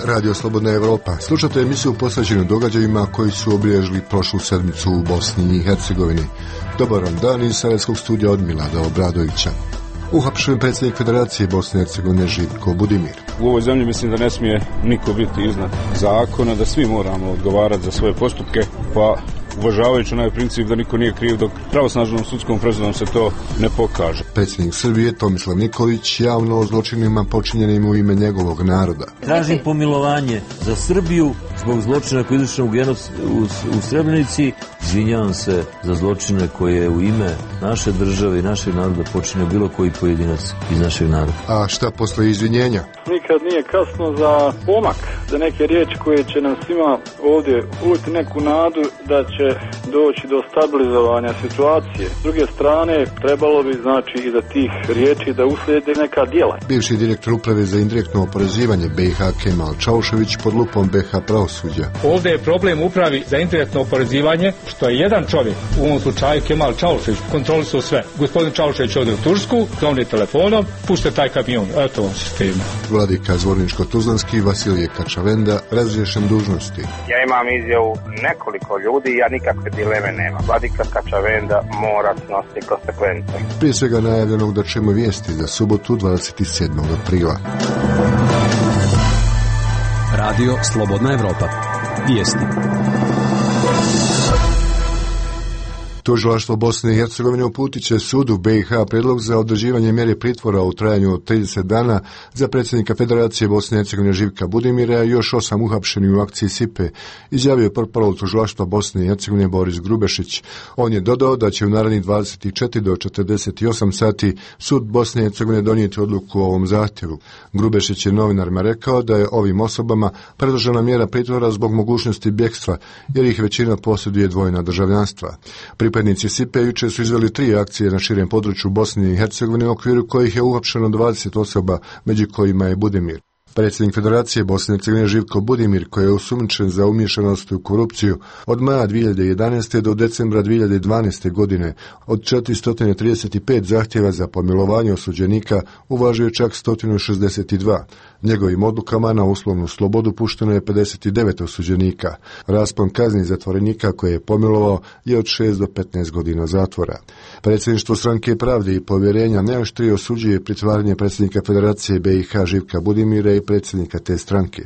Radio Slobodna Evropa. Slušate emisiju posvećenu događajima koji su obilježili prošlu sedmicu u Bosni i Hercegovini. Dobar vam dan iz Sarajevskog studija od Milada Obradovića. Uhapšen predsjednik Federacije Bosne i Hercegovine Živko Budimir. U ovoj zemlji mislim da ne smije niko biti iznad zakona, da svi moramo odgovarati za svoje postupke, pa uvažavajući onaj princip da niko nije kriv dok pravosnažnom sudskom presudom se to ne pokaže. Predsjednik Srbije Tomislav Nikolić javno o zločinima počinjenim u ime njegovog naroda. Tražim pomilovanje za Srbiju zbog zločina koji je izvršen u Srebrenici. Izvinjavam se za zločine koje je u ime naše države i našeg naroda počinio bilo koji pojedinac iz našeg naroda. A šta posle izvinjenja? Nikad nije kasno za pomak, za neke riječi koje će nam svima ovdje uliti neku nadu da će doći do stabilizovanja situacije. S druge strane, trebalo bi i za tih riječi da uslijede neka djela. Bivši direktor uprave za indirektno oporezivanje BiH Kemal Čaušević pod lupom BiH pravosuđa. Ovdje je problem upravi za indirektno oporezivanje, što je jedan čovjek, u ovom slučaju Kemal Čaušević, kontrolisao sve. Gospodin Čaušević ode u Tursku, zovni telefonom, pušte taj kamion, eto vam sistema. Vladika Zvorničko-Tuzlanski Vasilije Kačavenda razriješen dužnosti. Ja imam izjavu nekoliko ljudi, ja nikakve dileme nema. Vladika Kačavenda mora snositi konsekvence. Prije svega najavljenog da ćemo vijesti za subotu 27. aprila. Radio Slobodna Evropa. Vijesti. Tužilaštvo Bosne i Hercegovine uputit će sudu BiH prijedlog za određivanje mjere pritvora u trajanju od 30 dana za predsjednika Federacije Bosne i Hercegovine Živka Budimira i još 8 uhapšenih u akciji SIPE, izjavio portparol Tužilaštva Bosne i Hercegovine Boris Grubešić. On je dodao da će u narednih 24 do 48 sati sud Bosne i Hercegovine donijeti odluku o ovom zahtjevu. Grubešić je novinarima rekao da je ovim osobama predložena mjera pritvora zbog mogućnosti bjegstva, jer ih većina posjeduje dvojna državljanstva. Pripadnici SIPE jučer su izveli 3 akcije na širem području Bosne i Hercegovine u okviru kojih je uhapšeno 20 osoba, među kojima je Budimir. Predsjednik Federacije Bosne i Hercegovine Živko Budimir, koji je osumnjičen za umiješanost u korupciju od maja 2011. do decembra 2012. godine, od 435 zahtjeva za pomilovanje osuđenika uvažio čak 162. Njegovim odlukama na uslovnu slobodu pušteno je 59 osuđenika. Raspon kazni zatvorenika koje je pomilovao je od 6 do 15 godina zatvora. Predsjedništvo Stranke pravde i povjerenja najoštrije osuđuje pritvaranje predsjednika Federacije BiH Živka Budimira i predsjednika te stranke.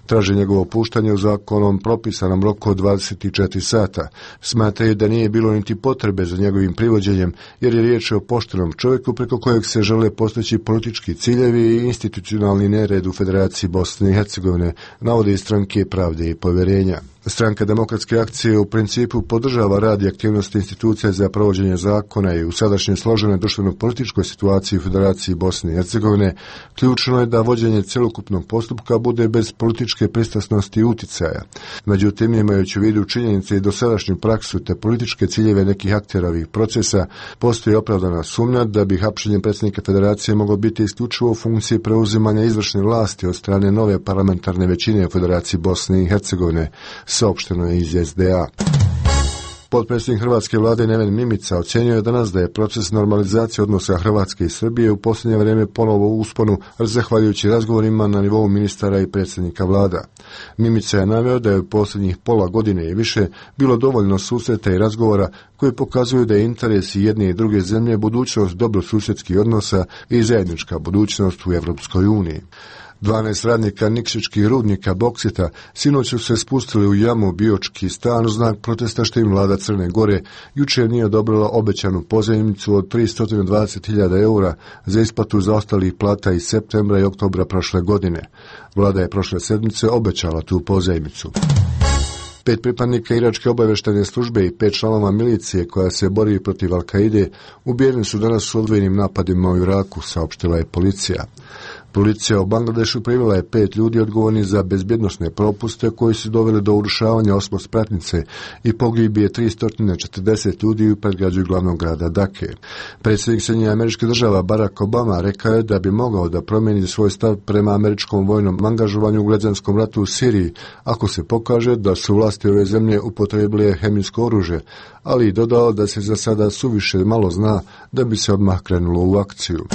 Traže njegovo puštanje u zakonom propisanom roku od 24 sata. Smatraju da nije bilo niti potrebe za njegovim privođenjem, jer je riječ o poštenom čovjeku preko kojeg se žele postići politički ciljevi i institucionalni nered u Federaciji Bosne i Hercegovine, navode iz Stranke pravde i povjerenja. Stranka Demokratske akcije u principu podržava rad i aktivnosti institucija za provođenje zakona i u sadašnjoj složenoj društveno-političkoj situaciji u Federaciji Bosne i Hercegovine ključno je da vođenje cjelokupnog postupka bude bez političke pristrasnosti i uticaja. Međutim, imajući u vidu činjenice i dosadašnju praksu te političke ciljeve nekih aktera ovih procesa, postoji opravdana sumnja da bi hapšenje predsjednika Federacije moglo biti isključivo u funkciji preuzimanja izvršne vlasti od strane nove parlamentarne većine u Federaciji Bosne i Hercegovine, saopšteno je iz SDA. Potpredsjednik hrvatske vlade Neven Mimica ocjenjuje danas da je proces normalizacije odnosa Hrvatske i Srbije u posljednje vrijeme ponovo u usponu, zahvaljujući razgovorima na nivou ministara i predsjednika vlada. Mimica je naveo da je u posljednjih pola godine i više bilo dovoljno susreta i razgovora koji pokazuju da je interes i jedne i druge zemlje budućnost dobrosusjedskih odnosa i zajednička budućnost u Europskoj uniji. 12 radnika Nikšićkih rudnika Boksita sinoć su se spustili u jamu Biočki stan u znak protesta što im vlada Crne Gore jučer nije odobrila obećanu pozajmicu od 320.000 eura za isplatu zaostalih plata iz septembra i oktobra prošle godine. Vlada je prošle sedmice obećala tu pozajmicu. 5 pripadnika iračke obavještajne službe i 5 članova milicije koja se bori protiv Al-Kaide ubijeni su danas u odvojenim napadima u Iraku, saopštila je policija. Policija u Bangladešu privela je 5 ljudi odgovorni za bezbjednosne propuste koji su doveli do urušavanja osmospratnice i pogibije 340 ljudi u predgrađu glavnog grada Dake. Predsjednik Sjedinjenih Američkih Država Barack Obama rekao je da bi mogao da promijeni svoj stav prema američkom vojnom angažovanju u građanskom ratu u Siriji ako se pokaže da su vlasti ove zemlje upotrebile hemijsko oružje, ali i dodao da se za sada suviše malo zna da bi se odmah krenulo u akciju.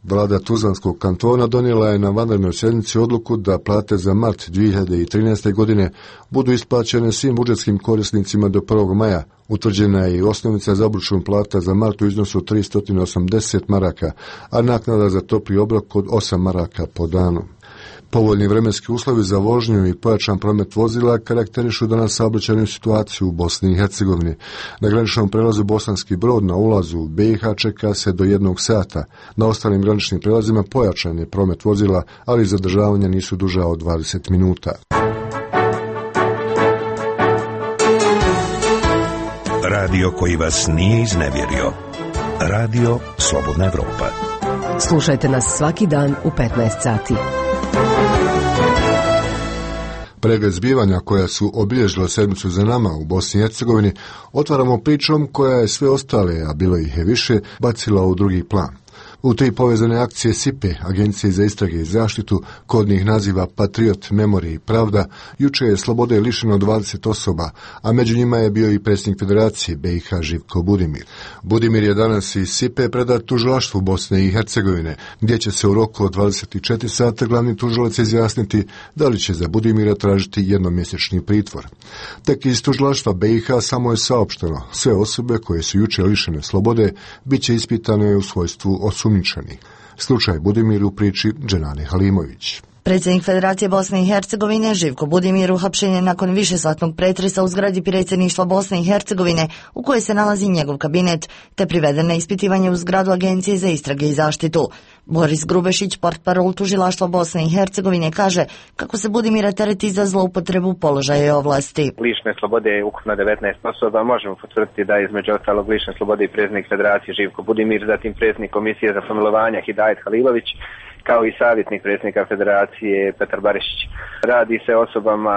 Vlada Tuzlanskog kantona donijela je na vanrednoj sjednici odluku da plate za mart 2013. godine budu isplaćene svim budžetskim korisnicima do 1. maja. Utvrđena je i osnovica za obračun plata za mart u iznosu 380 maraka, a naknada za topli obrok od 8 maraka po danu. Povoljni vremenski uslovi za vožnju i pojačan promet vozila karakterišu danas saobraćajnu situaciju u Bosni i Hercegovini. Na graničnom prelazu Bosanski Brod na ulazu u BiH čeka se do 1 sata. Na ostalim graničnim prelazima pojačan je promet vozila, ali zadržavanja nisu duža od 20 minuta. Radio koji vas nije iznevjerio. Radio Slobodna Evropa. Slušajte nas svaki dan u 15 sati. Pregled zbivanja koja su obilježila sedmicu za nama u Bosni i Hercegovini otvaramo pričom koja je sve ostale, a bilo ih je više, bacila u drugi plan. U 3 povezane akcije SIPE, Agencije za istrage i zaštitu, kodnih naziva Patriot, Memorij i Pravda, juče je slobode lišeno 20 osoba, a među njima je bio i predsjednik Federacije BiH Živko Budimir. Budimir je danas iz SIPE predat tužilaštvu Bosne i Hercegovine, gdje će se u roku od 24 sata glavni tužilac izjasniti da li će za Budimira tražiti jednomjesečni pritvor. Tek iz tužilaštva BiH samo je saopšteno, sve osobe koje su juče lišene slobode bit će ispitane u svojstvu osumnjičenih. Slučaj Budimir u priči Dženane Halimović. Predsjednik Federacije Bosne i Hercegovine Živko Budimir uhapšen je nakon višesatnog pretresa u zgradi predsjedništva Bosne i Hercegovine u kojoj se nalazi njegov kabinet, te priveden na ispitivanje u zgradu Agencije za istrage i zaštitu. Boris Grubešić, portparol tužilaštva Bosne i Hercegovine, kaže kako se Budimira tereti za zloupotrebu položaja i ovlasti. Lišne slobode je ukupno 19 osoba. Možemo potvrditi da je između ostalog lišne slobode i predsjednik Federacije Živko Budimir, zatim predsjednik Komisije za pomilovanja Hidajet Halilović, kao i savjetnik predsjednika Federacije Petar Barišić. Radi se o osobama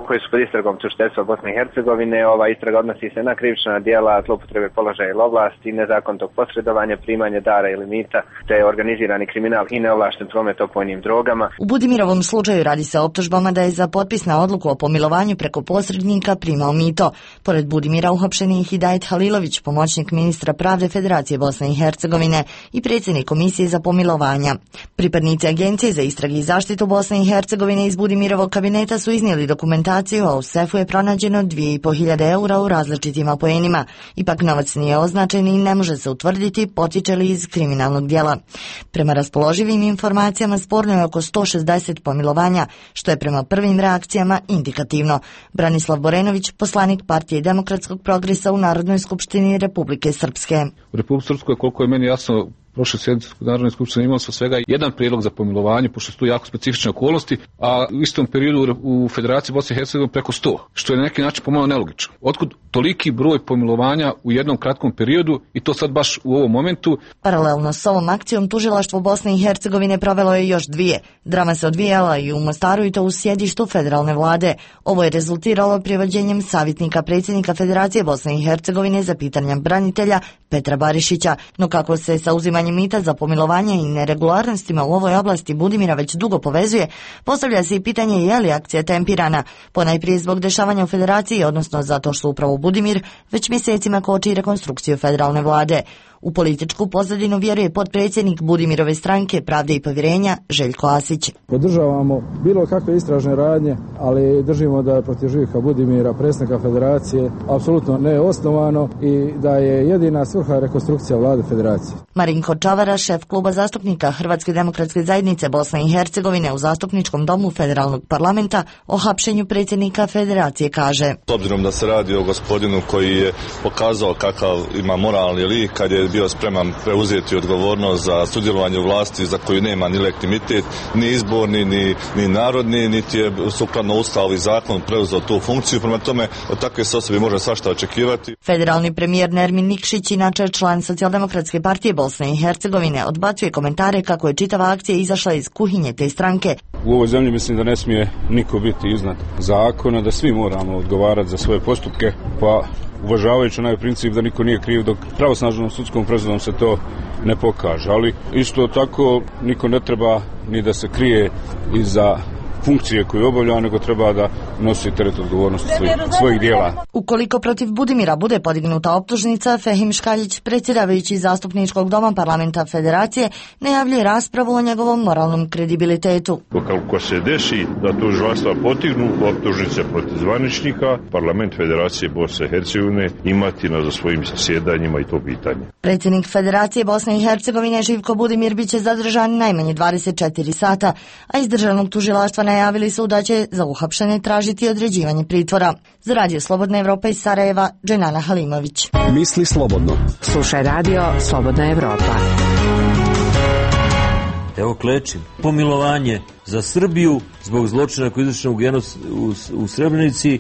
koji su pod istragom tužiteljstva Bosne i Hercegovine. Ova istraga odnosi se na krivična djela zloupotrebe položaja ili ovlasti, nezakonitog posredovanja, primanje dara ili mita, te organizirani kriminal i neovlašten promet opojnim drogama. U Budimirovom slučaju radi se o optužbama da je za potpis na odluku o pomilovanju preko posrednika primao mito. Pored Budimira uhapšen je Hidajet Halilović, pomoćnik ministra pravde Federacije Bosne i Hercegovine i predsjednik Komisije za pomilovanja. Pripadnici Agencije za istrage i zaštitu Bosne i Hercegovine iz Budimirovog kabineta su iznijeli dokumentaciju, a u sefu je pronađeno 2.500 eura u različitim apoenima. Ipak novac nije označen i ne može se utvrditi potiče li iz kriminalnog djela. Prema raspoloživim informacijama sporno je oko 160 pomilovanja, što je prema prvim reakcijama indikativno. Branislav Borenović, poslanik Partije demokratskog progresa u Narodnoj skupštini Republike Srpske. U Republike Srpskoj, koliko je meni jasno, prošle sjednice Narodne skupštine imao sam svega jedan prijedlog za pomilovanje, pošto su tu jako specifične okolnosti, a u istom periodu u Federaciji Bosne i Hercegovine preko 100, što je na neki način pomalo nelogično. Otkud toliki broj pomilovanja u jednom kratkom periodu i to sad baš u ovom momentu? Paralelno s ovom akcijom tužilaštvo Bosne i Hercegovine provelo je još 2. Drama se odvijala i u Mostaru i to u sjedištu federalne vlade. Ovo je rezultiralo privođenjem savjetnika predsjednika Federacije Bosne i Hercegovine za pitanja branitelja Petra Barišića, no kako se sa uzimanjem mita za pomilovanje i neregularnostima u ovoj oblasti Budimira već dugo povezuje, postavlja se i pitanje je li akcija tempirana, ponajprije zbog dešavanja u Federaciji, odnosno zato što upravo Budimir već mjesecima koči rekonstrukciju federalne vlade. U političku pozadinu vjeruje potpredsjednik Budimirove stranke Pravde i povjerenja Željko Asić. Podržavamo bilo kakve istražne radnje, ali držimo da je protiv Živka Budimira, predsjednika Federacije, apsolutno neosnovano i da je jedina svrha rekonstrukcija vlade Federacije. Marinko Čavara, šef kluba zastupnika Hrvatske demokratske zajednice Bosne i Hercegovine u zastupničkom domu federalnog parlamenta o hapšenju predsjednika Federacije kaže: S obzirom da se radi o gospodinu koji je pokazao kakav ima moralni lik kad je bio spreman preuzeti odgovornost za sudjelovanje u vlasti za koju nema ni legitimitet, ni izborni, ni narodni, niti je sukladno Ustavu i zakon preuzeo tu funkciju. Prema tome, od takve se osobe može svašta očekivati. Federalni premijer Nermin Nikšić, inače član Socijaldemokratske partije Bosne i Hercegovine, odbacuje komentare kako je čitava akcija izašla iz kuhinje te stranke. U ovoj zemlji mislim da ne smije niko biti iznad zakona, da svi moramo odgovarati za svoje postupke, pa uvažavajući onaj princip da niko nije kriv dok pravosnažnom sudskom presudom se to ne pokaže. Ali isto tako niko ne treba ni da se krije iza funkcije koju obavlja, nego treba da nosi teret odgovornosti svojih dijela. Ukoliko protiv Budimira bude podignuta optužnica, Fehim Škaljić, predsjedavajući zastupničkog doma parlamenta Federacije, najavljuje raspravu o njegovom moralnom kredibilitetu. Ukoliko se desi da tužilaštva podignu optužnice protiv zvaničnika, parlament Federacije Bosne i Hercegovine imati na svojim zasjedanjima i to pitanje. Predsjednik Federacije Bosne i Hercegovine Živko Budimir biće zadržan najmanje 24 sata, a iz državnog tužilaštva najavili su da će za uhapšene tražiti određivanje pritvora. Za Radio Slobodna Evropa iz Sarajeva, Dženana Halimović. Misli slobodno. Slušaj Radio Slobodna Evropa. Evo klečim. Pomilovanje za Srbiju zbog zločina koji je izvršen u Srebrenici.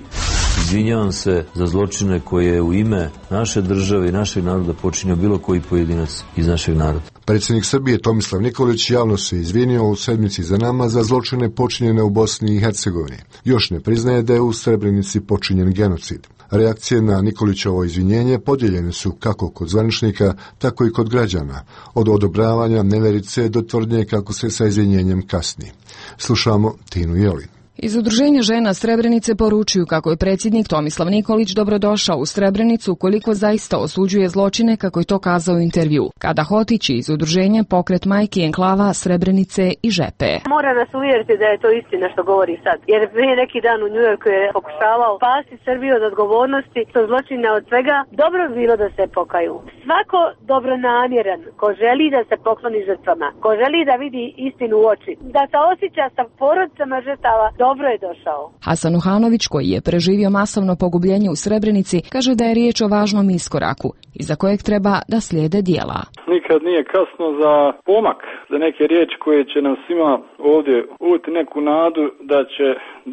Izvinjavam se za zločine koje je u ime naše države i našeg naroda počinio bilo koji pojedinac iz našeg naroda. Predsjednik Srbije Tomislav Nikolić javno se izvinio u sedmici za nama za zločine počinjene u Bosni i Hercegovini. Još ne priznaje da je u Srebrenici počinjen genocid. Reakcije na Nikolićevo izvinjenje podijeljene su kako kod zvaničnika, tako i kod građana, od odobravanja neverice do tvrdnje kako se sa izvinjenjem kasni. Slušamo Tinu Jelin. Iz Udruženja žena Srebrenice poručuju kako je predsjednik Tomislav Nikolić dobrodošao u Srebrenicu ukoliko zaista osuđuje zločine kako je to kazao u intervju. Kada Hotić iz Udruženja Pokret majki enklava Srebrenice i Žepe. Mora nas uvjeriti da je to istina što govori sad. Jer prije neki dan u Njujorku je pokušavao spasti Srbiju od odgovornosti, što zločina od svega. Dobro bi bilo da se pokaju. Svako dobronamjeran ko želi da se pokloni žrtvama, ko želi da vidi istinu u oči, da se osjeća sa porodicama žrtava, dobro je došao. Hasan Uhanović, koji je preživio masovno pogubljenje u Srebrenici, kaže da je riječ o važnom iskoraku, iza kojeg treba da slijede dijela. Nikad nije kasno za pomak, za neke riječi koje će nam svima ovdje uliti neku nadu da će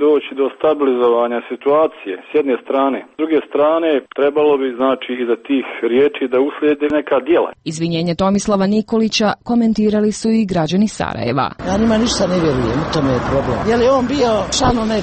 doći do stabilizovanja situacije s jedne strane. S druge strane, trebalo bi znači iza tih riječi da uslijede neka djela. Izvinjenje Tomislava Nikolića komentirali su i građani Sarajeva. Ja njima ništa ne vjerujem, u tome je problem. Je li on bio član one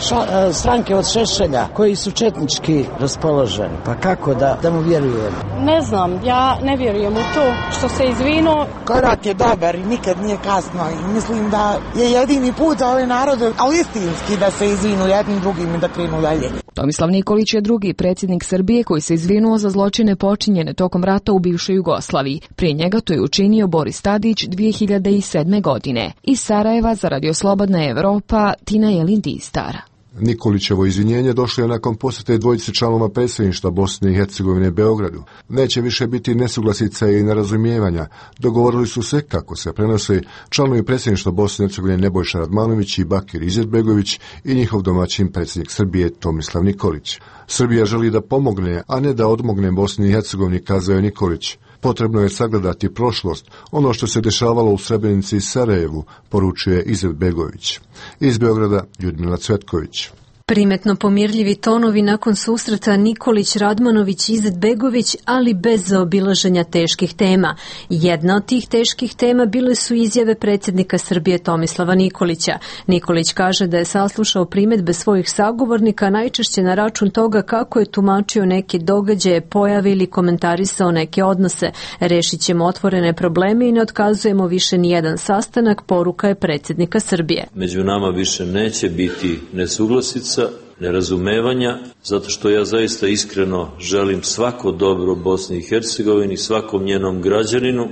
stranke od Šešelja koji su četnički raspoloženi? Pa kako da mu vjerujem? Ne znam, ja ne vjerujem u to što se izvinuo. Korak je dobar i nikad nije kasno i mislim da je jedini put za ove narode, ali istinski, da se izvinu jednim drugim i da krenu dalje. Tomislav Nikolić je drugi predsjednik Srbije koji se izvinuo za zločine počinjene tokom rata u bivšoj Jugoslaviji. Prije njega to je učinio Boris Tadić 2007. godine. Iz Sarajeva za Radio Slobodna Evropa, Tina Jelin Distar. Nikolićevo izvinjenje došlo je nakon posjete dvojice članova predsjedništva Bosne i Hercegovine Beogradu. Neće više biti nesuglasica i nerazumijevanja. Dogovorili su se kako se prenose članovi predsjedništva Bosne i Hercegovine Nebojša Radmanović i Bakir Izetbegović i njihov domaćin predsjednik Srbije Tomislav Nikolić. Srbija želi da pomogne, a ne da odmogne Bosni i Hercegovini, kazao je Nikolić. Potrebno je sagledati prošlost, ono što se dešavalo u Srebrenici i Sarajevu, poručuje Izetbegović. Iz Beograda Ljudmila Cvetković. Primetno pomirljivi tonovi nakon susreta Nikolić-Radmanović-Izetbegović, ali bez zaobilaženja teških tema. Jedna od tih teških tema bile su izjave predsjednika Srbije Tomislava Nikolića. Nikolić kaže da je saslušao primjedbe svojih sagovornika najčešće na račun toga kako je tumačio neke događaje, pojave ili komentarisao neke odnose. Rešit ćemo otvorene probleme i ne otkazujemo više nijedan sastanak, poruka je predsjednika Srbije. Među nama više neće biti nesuglasica, nerazumevanja, zato što ja zaista iskreno želim svako dobro Bosni i Hercegovini, svakom njenom građaninu.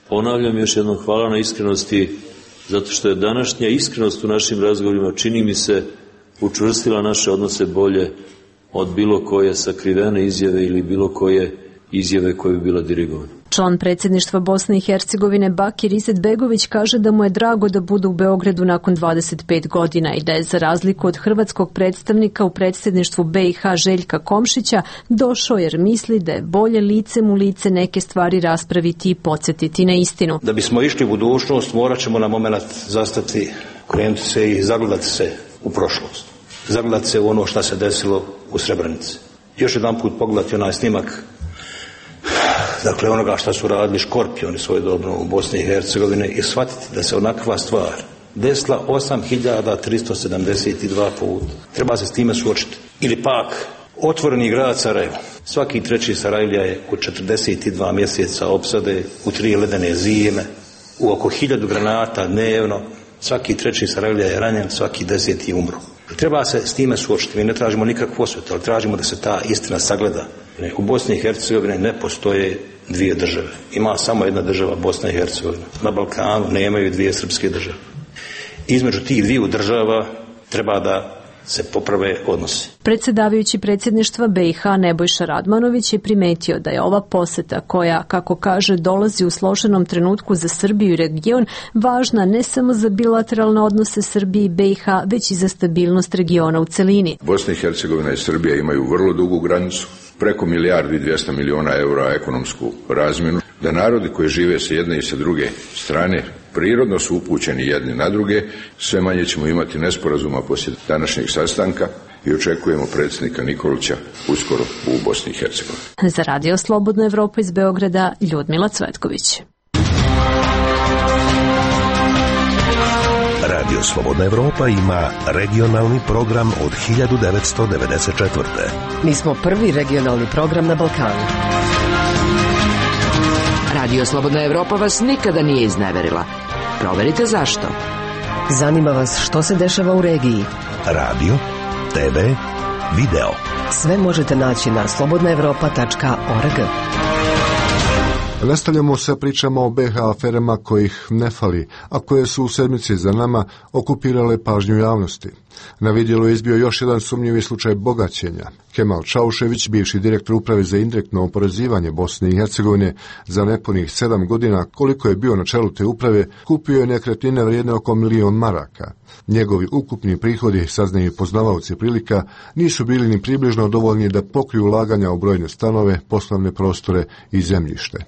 Ponavljam još jednom hvala na iskrenosti, zato što je današnja iskrenost u našim razgovorima, čini mi se, učvrstila naše odnose bolje od bilo koje sakrivene izjave ili bilo koje izjave koje bi bila dirigovana. Član predsjedništva Bosne i Hercegovine Bakir Izetbegović kaže da mu je drago da bude u Beogradu nakon 25 godina i da je za razliku od hrvatskog predstavnika u predsjedništvu BiH Željka Komšića došao jer misli da je bolje licem u lice neke stvari raspraviti i podsjetiti na istinu. Da bismo išli u budućnost morat ćemo na moment zastati, krenuti se i zagledati se u prošlost. Zagledati se u ono što se desilo u Srebrenici. Još jedan put pogledati onaj snimak, dakle onoga što su radili škorpioni svojedobno u Bosni i Hercegovini i shvatiti da se onakva stvar desila 8372 puta. Treba se s time suočiti. Ili pak otvoreni grad Sarajevo. Svaki treći Sarajlija je u 42 mjeseca opsade, u 3 ledene zime, u oko 1000 granata dnevno, Svaki 3. Sarajlija je ranjen, svaki 10. je umro. Treba se s time suočiti. Mi ne tražimo nikakvu osvetu, ali tražimo da se ta istina sagleda. U Bosni i Hercegovini ne postoje dvije države. Ima samo jedna država, Bosna i Hercegovina. Na Balkanu nemaju dvije srpske države. Između tih dviju država treba da se poprave odnosi. Predsjedavajući predsjedništva BiH Nebojša Radmanović je primetio da je ova poseta koja, kako kaže, dolazi u složenom trenutku za Srbiju i region, važna ne samo za bilateralne odnose Srbije i BiH, već i za stabilnost regiona u celini. Bosna i Hercegovina i Srbija imaju vrlo dugu granicu, preko 1.200.000.000 eura ekonomsku razmjenu, da narodi koji žive sa jedne i sa druge strane prirodno su upućeni jedni na druge, sve manje ćemo imati nesporazuma poslije današnjeg sastanka i očekujemo predsjednika Nikolića uskoro u Bosni i Hercegovini. Za Radio Slobodna Evropa iz Beograda, Ljudmila Cvetković. Radio Slobodna Evropa ima regionalni program od 1994. Mi smo prvi regionalni program na Balkanu. Radio Slobodna Evropa vas nikada nije izneverila. Proverite zašto. Zanima vas što se dešava u regiji. Radio, TV, video. Sve možete naći na slobodnaevropa.org. Nastavljamo sa pričama o BiH aferama kojih ne fali, a koje su u sedmici za nama okupirale pažnju javnosti. Na vidjelu je izbio još jedan sumnjivi slučaj bogaćenja. Kemal Čaušević, bivši direktor uprave za indirektno oporezivanje Bosne i Hercegovine, za nepunih 7 godina koliko je bio na čelu te uprave, kupio je nekretnine vrijedne oko 1.000.000 maraka. Njegovi ukupni prihodi, saznaju poznavaoci prilika, nisu bili ni približno dovoljni da pokriju ulaganja u brojne stanove, poslovne prostore i zemljište.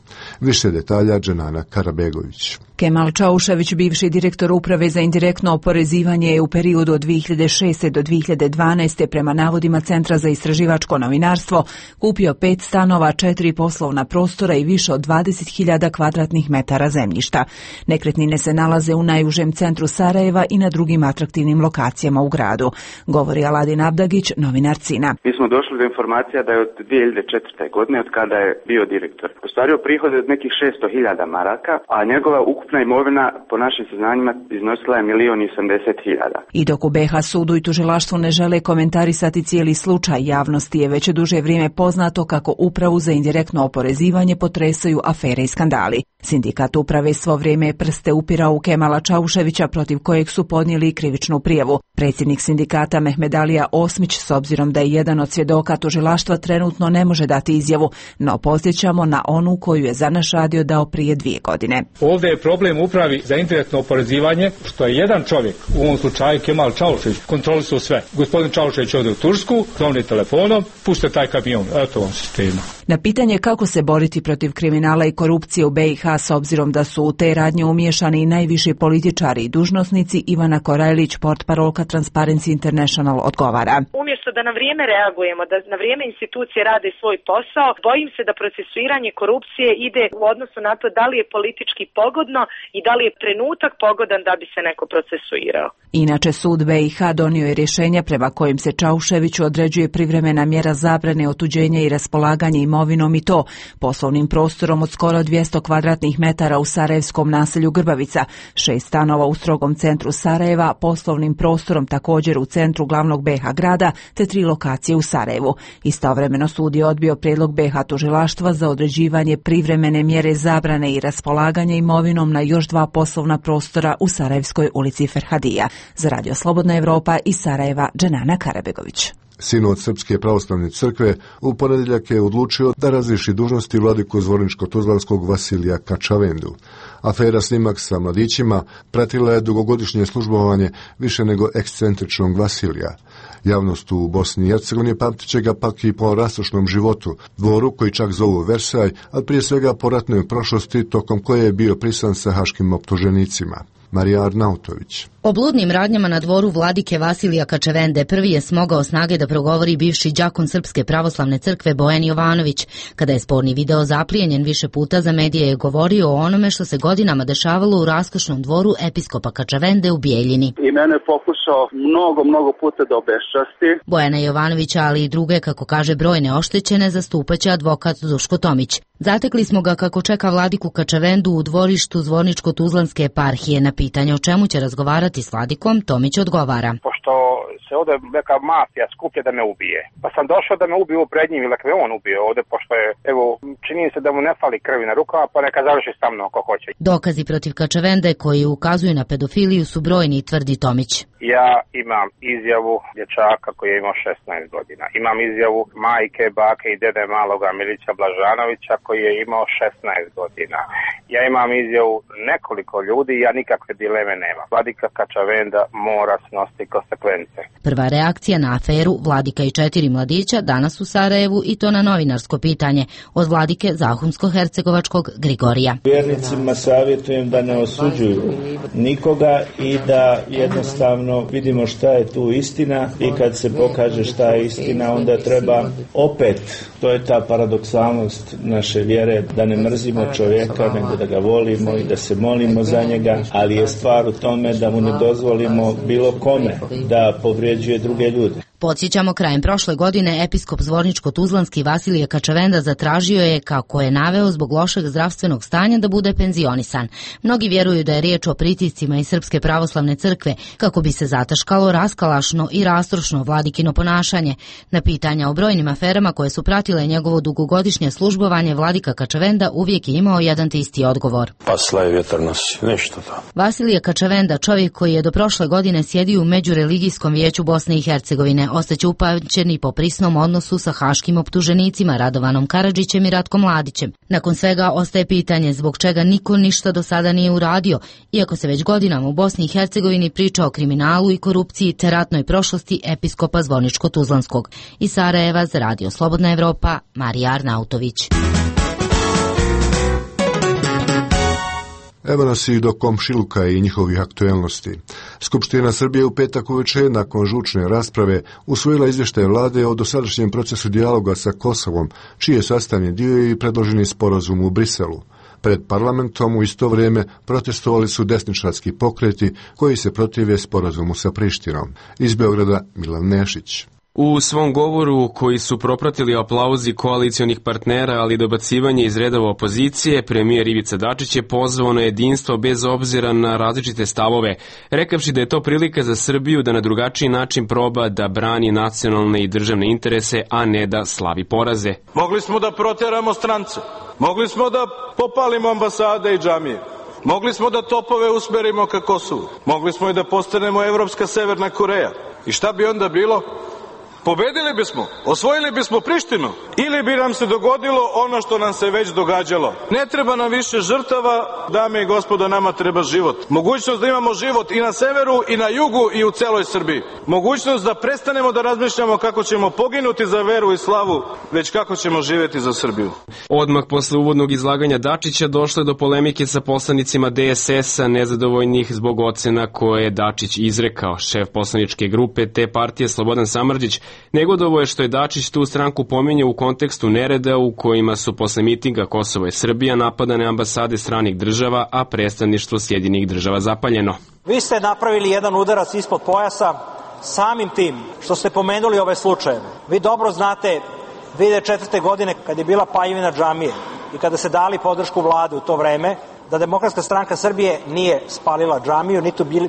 Više detalja Dženana Karabegović. Kemal Čaušević, bivši direktor uprave za indirektno oporezivanje, je u periodu od 2006. do 2012. prema navodima Centra za istraživačko novinarstvo kupio 5 stanova, 4 poslovna prostora i više od 20.000 kvadratnih metara zemljišta. Nekretnine se nalaze u najužem centru Sarajeva i na drugim atraktivnim lokacijama u gradu, govori Aladin Abdagić, novinar CINA. Mi smo došli do informacija da je od 2004. godine, od kada je bio direktor, ostvario prihode od nekih 600.000 maraka, a njegova ukupna imovina po našim saznanjima iznosila je 1.080.000. I dok u BiH sudu i tužilaštvu ne žele komentarisati cijeli slučaj, javnosti je već duže vrijeme poznato kako upravu za indirektno oporezivanje potresaju afere i skandali. Sindikat uprave svo vrijeme prste upirao u Kemala Čauševića, protiv kojeg su podnijeli krivičnu prijavu. Predsjednik sindikata Mehmedalija Osmić, s obzirom da je jedan od svjedoka tužilaštva, trenutno ne može dati izjavu, no podsjećamo na onu koju je za naš radio dao prije 2 godine. Ovdje je problem upravi za indirektno oporezivanje, što je jedan čovjek, u ovom slučaju Kemal Čaušević, kontrolisao sve. Gospodin Čaušević ode u Tursku, zovni telefonom, pušte taj kamion, eto vam sistema. Na pitanje kako se boriti protiv kriminala i korupcije u BiH, s obzirom da su u te radnje umiješani i najviši političari i dužnosnici, Ivana Korajlić, portparolka Transparency International, odgovara. Umjesto da na vrijeme reagujemo, da na vrijeme institucije rade svoj posao, bojim se da procesuiranje korupcije ide u odnosu na to da li je politički pogodno i da li je trenutak pogodan da bi se neko procesuirao. Inače, sud BiH donio je rješenje prema kojim se Čauševiću određuje privremena mjera zabrane otuđenja i raspolaganja imovinom, i to poslovnim prostorom od skoro 200 kvadratnih metara u sarajevskom naselju Grbavica, 6 stanova u strogom centru Sarajeva, poslovnim prostorom također u centru glavnog BiH grada, te 3 lokacije u Sarajevu. Istovremeno sud je odbio prijedlog BiH tužilaštva za određivanje privremene mjere zabrane i raspolaganja imovinom na još 2 poslovna prostora u Sarajevskoj ulici Ferhadija. Za Radio Slobodna Evropa iz Sarajeva, Dženana Karabegović. Sinod Srpske pravoslavne crkve u ponedjeljak je odlučio da razriješi dužnosti vladiku Zvorničko-Tuzlanskog Vasilija Kačavendu. Afera snimak sa mladićima pratila je dugogodišnje službovanje više nego ekscentričnog Vasilija. Javnost u Bosni i Hercegovini pamtit će ga pak i po rastrošnom životu, dvoru koji čak zovu Versaj, ali prije svega po ratnoj prošlosti tokom koje je bio prisan sa haškim optuženicima. Marija Arnautović. O bludnim radnjama na dvoru vladike Vasilija Kačavende prvi je smogao snage da progovori bivši đakon Srpske pravoslavne crkve Bojan Jovanović. Kada je sporni video zaplijenjen više puta, za medije je govorio o onome što se godinama dešavalo u raskošnom dvoru episkopa Kačavende u Bijeljini. I mene je pokušao mnogo puta da obeščasti. Bojana Jovanovića, ali i druge, kako kaže, brojne oštećene, zastupaće advokat Duško Tomić. Zatekli smo ga kako čeka vladiku Kačavendu u dvorištu Zvorničko-Tuzlanske eparhije. Na pitanje o čemu će razgovarati s vladikom, Tomić odgovara. Pošto se ovdje neka mafija skuplja da me ubije, pa sam došao da me ubiju pred njim ili me on ubije ovdje, pošto je, evo, čini se da mu ne fali krvi na rukama, pa neka završi sa mnom ako hoće. Dokazi protiv Kačavende koji ukazuju na pedofiliju su brojni, tvrdi Tomić. Ja imam izjavu dječaka koji je imao 16 godina. Imam izjavu majke, bake i dede maloga Milića Blažanovića koji je imao 16 godina. Ja imam izjavu nekoliko ljudi i ja nikakve dileme nemam. Vladika Kačavenda mora snositi konsekvence. Prva reakcija na aferu Vladika i 4 mladića danas u Sarajevu, i to na novinarsko pitanje od vladike Zahumsko-hercegovačkog Grigorija. Vjernicima savjetujem da ne osuđuju nikoga i da jednostavno vidimo šta je tu istina, i kad se pokaže šta je istina, onda treba opet, to je ta paradoksalnost naše vjere, da ne mrzimo čovjeka, nego da ga volimo i da se molimo za njega, ali je stvar u tome da mu ne dozvolimo bilo kome da povrijeđuje druge ljude. Podsjećamo, krajem prošle godine episkop Zvorničko-Tuzlanski Vasilije Kačavenda zatražio je, kako je naveo, zbog lošeg zdravstvenog stanja da bude penzionisan. Mnogi vjeruju da je riječ o pritiscima iz Srpske pravoslavne crkve, kako bi se zataškalo raskalašno i rastrošno vladikino ponašanje. Na pitanja o brojnim aferama koje su pratile njegovo dugogodišnje službovanje, vladika Kačavenda uvijek je imao jedan te isti odgovor. Pasla je vjetar nosi, nešto to. Vasilije Kačavenda, čovjek koji je do prošle godine sjedio u Međureligijskom vijeću Bosne i Hercegovine, ostaće upamćen i po prisnom odnosu sa haškim optuženicima Radovanom Karadžićem i Ratkom Mladićem. Nakon svega ostaje pitanje zbog čega niko ništa do sada nije uradio, iako se već godinama u Bosni i Hercegovini priča o kriminalu i korupciji te ratnoj prošlosti episkopa Zvorničko-Tuzlanskog. Iz Sarajeva za Radio Slobodna Evropa, Marija Arnautović. Evo nas i do komšiluka i njihovih aktuelnosti. Skupština Srbije u petak uveče nakon žučne rasprave usvojila izvještaj vlade o dosadašnjem procesu dijaloga sa Kosovom, čiji je sastavni dio i predloženi sporazum u Briselu. Pred parlamentom u isto vrijeme protestovali su desničarski pokreti koji se protive sporazumu sa Prištinom. Iz Beograda Milan Nešić. U svom govoru, koji su propratili aplauzi koalicionih partnera, ali dobacivanje iz redova opozicije, premijer Ivica Dačić je pozvao na jedinstvo bez obzira na različite stavove, rekavši da je to prilika za Srbiju da na drugačiji način proba da brani nacionalne i državne interese, a ne da slavi poraze. Mogli smo da proteramo strance, mogli smo da popalimo ambasade i džamije, mogli smo da topove usmerimo ka Kosovu, mogli smo i da postanemo evropska Severna Koreja. I šta bi onda bilo? Pobedili bismo, osvojili bismo Prištinu, ili bi nam se dogodilo ono što nam se već događalo. Ne treba nam više žrtava, dame i gospodo, nama treba život. Mogućnost da imamo život i na severu i na jugu i u celoj Srbiji. Mogućnost da prestanemo da razmišljamo kako ćemo poginuti za veru i slavu, već kako ćemo živjeti za Srbiju. Odmah posle uvodnog izlaganja Dačića došlo je do polemike sa poslanicima DSS-a, nezadovoljnih zbog ocena koje je Dačić izrekao. Šef poslaničke grupe te partije Slobodan Samardžić negodovo je što je Dačić tu stranku pominjao u kontekstu nereda u kojima su posle mitinga Kosovo i Srbija napadane ambasade stranih država, a predstavništvo Sjedinjenih Država zapaljeno. Vi ste napravili jedan udarac ispod pojasa samim tim što ste pomenuli ove slučajeve. Vi dobro znate 2004. godine kad je bila paljevina džamije i kada se dali podršku vlade u to vreme, da Demokratska stranka Srbije nije spalila džamiju,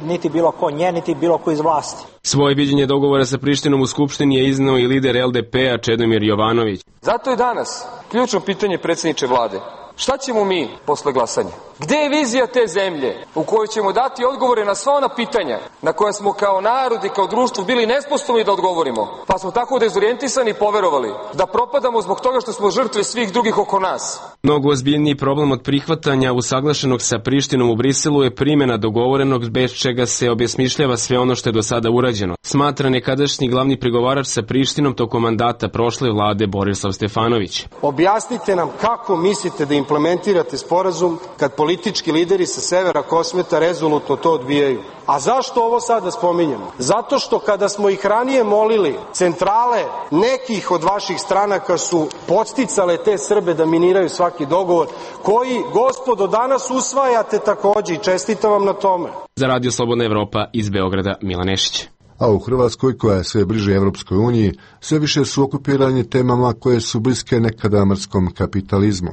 niti bilo ko nje, niti bilo ko iz vlasti. Svoje viđenje dogovora sa Prištinom u Skupštini je izneo i lider LDP-a Čedomir Jovanović. Zato je danas ključno pitanje predsjedniče vlade. Šta ćemo mi posle glasanja? Gde je vizija te zemlje u kojoj ćemo dati odgovore na sva ona pitanja na koja smo kao narod i kao društvo bili nesposobni da odgovorimo, pa smo tako dezorijentisani i poverovali da propadamo zbog toga što smo žrtve svih drugih oko nas? Mnogo ozbiljniji problem od prihvatanja usaglašenog sa Prištinom u Briselu je primjena dogovorenog, bez čega se obesmišljava sve ono što je do sada urađeno, smatra nekadašnji glavni pregovarač sa Prištinom tokom mandata prošle vlade Borislav Stefanović. Objasnite nam kako mislite da implementirate sporazum kad politički lideri sa severa Kosmeta rezolutno to odbijaju. A zašto ovo sada spominjamo? Zato što kada smo ih ranije molili, centrale nekih od vaših stranaka su podsticale te Srbe da miniraju svaki dogovor, koji, gospodo, danas usvajate takođe i čestitam vam na tome. Za Radio Slobodna Evropa iz Beograda, Milan Nešić. a u Hrvatskoj, koja je sve bliže Evropskoj uniji, sve više su okupirani temama koje su bliske nekada mrskom kapitalizmu.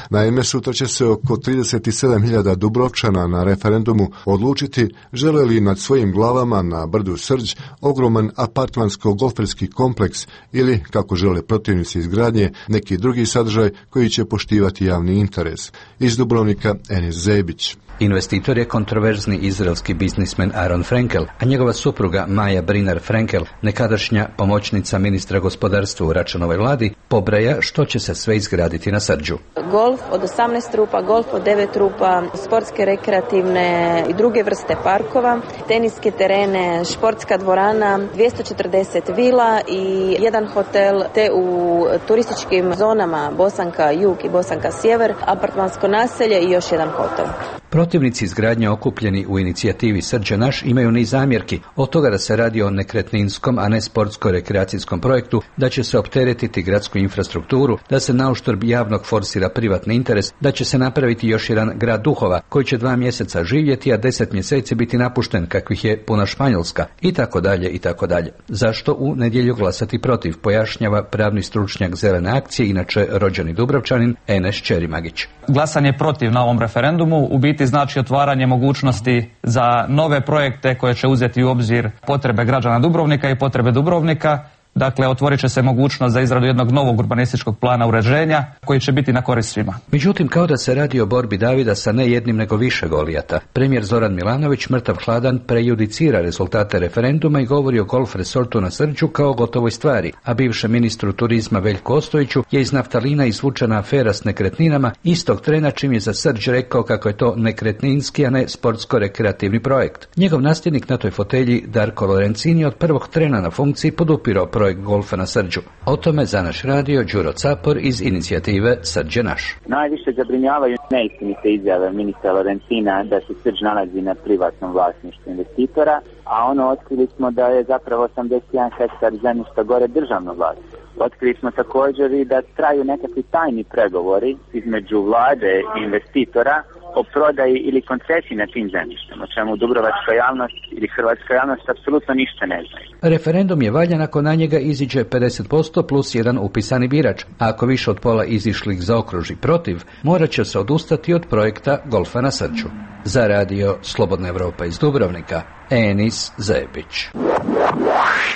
Naime, sutra će se oko 37.000 Dubrovčana na referendumu odlučiti žele li nad svojim glavama na brdu Srđ ogroman apartmansko-golferski kompleks ili, kako žele protivnici izgradnje, neki drugi sadržaj koji će poštivati javni interes. Iz Dubrovnika, Enis Zebić. Investitor je kontroverzni izraelski biznismen Aaron Frenkel, a njegova supruga Maja Brinar Frenkel, nekadašnja pomoćnica ministra gospodarstva u Račanovoj vladi, pobraja što će se sve izgraditi na Srđu. Golf od 18 rupa, golf od 9 rupa, sportske, rekreativne i druge vrste parkova, teniske terene, športska dvorana, 240 vila i jedan hotel, te u turističkim zonama Bosanka Jug i Bosanka Sjever, apartmansko naselje i još jedan hotel. Protivnici izgradnje okupljeni u inicijativi Srđa naš imaju niz zamjerki, od toga da se radi o nekretninskom, a ne sportsko-rekreacijskom projektu, da će se opteretiti gradsku infrastrukturu, da se nauštrb javnog forsira privatni interes, da će se napraviti još jedan grad duhova koji će 2 mjeseca živjeti, a 10 mjeseci biti napušten kakvih je puna Španjolska, i tako dalje, i tako dalje. Zašto u nedjelju glasati protiv, pojašnjava pravni stručnjak Zelene akcije, inače rođeni Dubrovčanin, Enes Čerimagić. Glasanje protiv na ovom referendumu u biti znači otvaranje mogućnosti za nove projekte koje će uzeti u obzir potrebe građana Dubrovnika i potrebe Dubrovnika. Dakle, otvorit će se mogućnost za izradu jednog novog urbanističkog plana uređenja koji će biti na korist svima. Međutim, kao da se radi o borbi Davida sa ne jednim nego više Golijata, premijer Zoran Milanović mrtav hladan prejudicira rezultate referenduma i govori o golf resortu na Srđu kao gotovoj stvari, a bivšem ministru turizma Veljku Ostojiću je iz naftalina izvučena afera s nekretninama istog trena čim je za Srđ rekao kako je to nekretninski, a ne sportsko-rekreativni projekt. Njegov nasljednik na toj fotelji, Darko Lorenzini, od prvog trena na funkciji podupirao projekt golfa na Srđu. O tome za naš radio Đuro Capor iz inicijative Srđ je naš. Najviše zabrinjavaju neistinite izjave ministra Lorenzina da se Srđ nalazi na privatnom vlasništvu investitora, a otkrili smo da je zapravo 81 hektar zemljišta gore državno vlasništvo. Otkrili smo također i da traju nekakvi tajni pregovori između vlade i investitora o prodaji ili koncesiji na tim zemljištima, o čemu dubrovačka javnost ili hrvatska javnost apsolutno ništa ne znaju. Referendum je valjan ako na njega iziđe 50% plus jedan upisani birač, a ako više od pola izišlih zaokruži protiv, morat će se odustati od projekta golfa na Srđu. Za radio Slobodna Evropa iz Dubrovnika, Enis Zebić.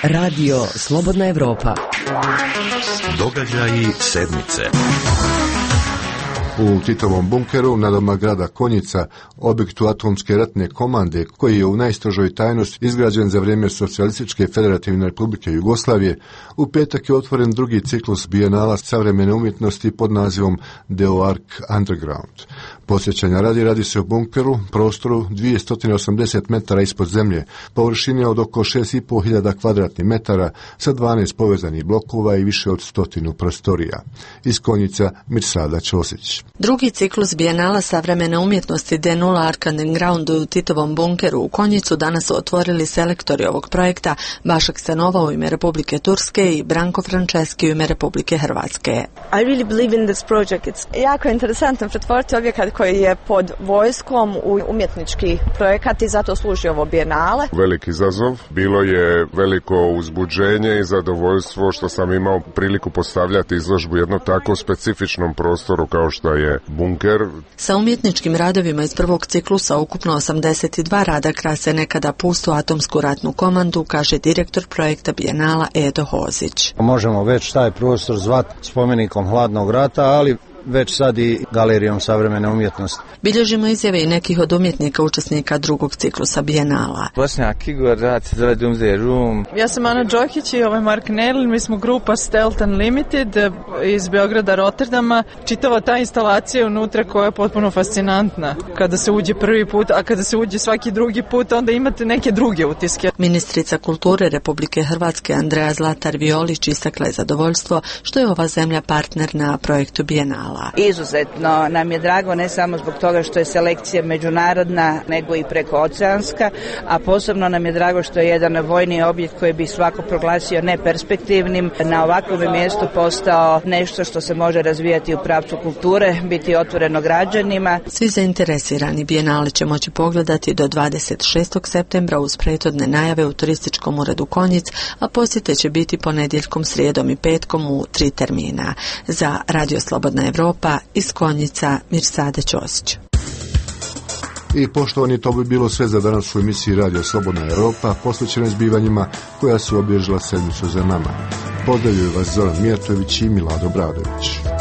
Radio Slobodna Evropa. Događaji sedmice. U Titovom bunkeru nadomak grada Konjica, objektu atomske ratne komande koji je u najstrožoj tajnosti izgrađen za vrijeme Socijalističke federativne republike Jugoslavije, u petak je otvoren drugi ciklus bijenala savremene umjetnosti pod nazivom Deoark Underground. Posjećanja radi se o bunkeru, prostoru 280 metara ispod zemlje, površine od oko 6.500 kvadratnih metara sa 12 povezanih blokova i više od 100 prostorija. Iz Konjica Mirsada Ćosić. Drugi ciklus bijenala savremene umjetnosti Deoark Underground u Titovom bunkeru u Konjicu danas su otvorili selektori ovog projekta Bašak Stanova u ime Republike Turske i Branko Franceski u ime Republike Hrvatske. I really believe in this project. It's jako interesantno pretvoriti objekat koji je pod vojskom u umjetnički projekat i zato služi ovo bijenale. Veliki izazov, bilo je veliko uzbuđenje i zadovoljstvo što sam imao priliku postavljati izložbu jednom tako specifičnom prostoru kao što je bunker. Sa umjetničkim radovima iz prvog ciklusa ukupno 82 rada krase nekada pustu atomsku ratnu komandu, kaže direktor projekta bijenala Edo Hozić. Možemo već taj prostor zvati spomenikom hladnog rata, ali već sad i galerijom savremene umjetnosti. Bilježimo izjave i nekih od umjetnika učesnika drugog ciklusa bijenala. Bosnjak Igor, rad se zove Doomsday Room. Ja sam Ana Đokić i Mark Nerl, mi smo grupa Stealth Unlimited iz Beograda, Rotterdama. Čitava ta instalacija unutra koja je potpuno fascinantna. Kada se uđe prvi put, a kada se uđe svaki drugi put, onda imate neke druge utiske. Ministrica kulture Republike Hrvatske Andreja Zlatar Violić istakla je zadovoljstvo što je ova zemlja partner na projektu bijenala. bijenala. Izuzetno nam je drago ne samo zbog toga što je selekcija međunarodna, nego i prekooceanska, a posebno nam je drago što je jedan vojni objekt koji bi svako proglasio neperspektivnim na ovakvom mjestu postao nešto što se može razvijati u pravcu kulture, biti otvoreno građanima. Svi zainteresirani bijenale će moći pogledati do 26. septembra uz prethodne najave u turističkom uredu Konjic, a posjete će biti ponedjeljkom, srijedom i petkom u 3 termina. Za Radio Slobodna Evropa iz Konjica, Mirsade Ćosić. I poštovani, to bi bilo sve za danas u emisiji Radio Slobodna Evropa, posvećenoj zbivanjima koja su obilježila sedmicu za nama. Pozdravljaju vas Zoran Mijatović i Milado Bradović.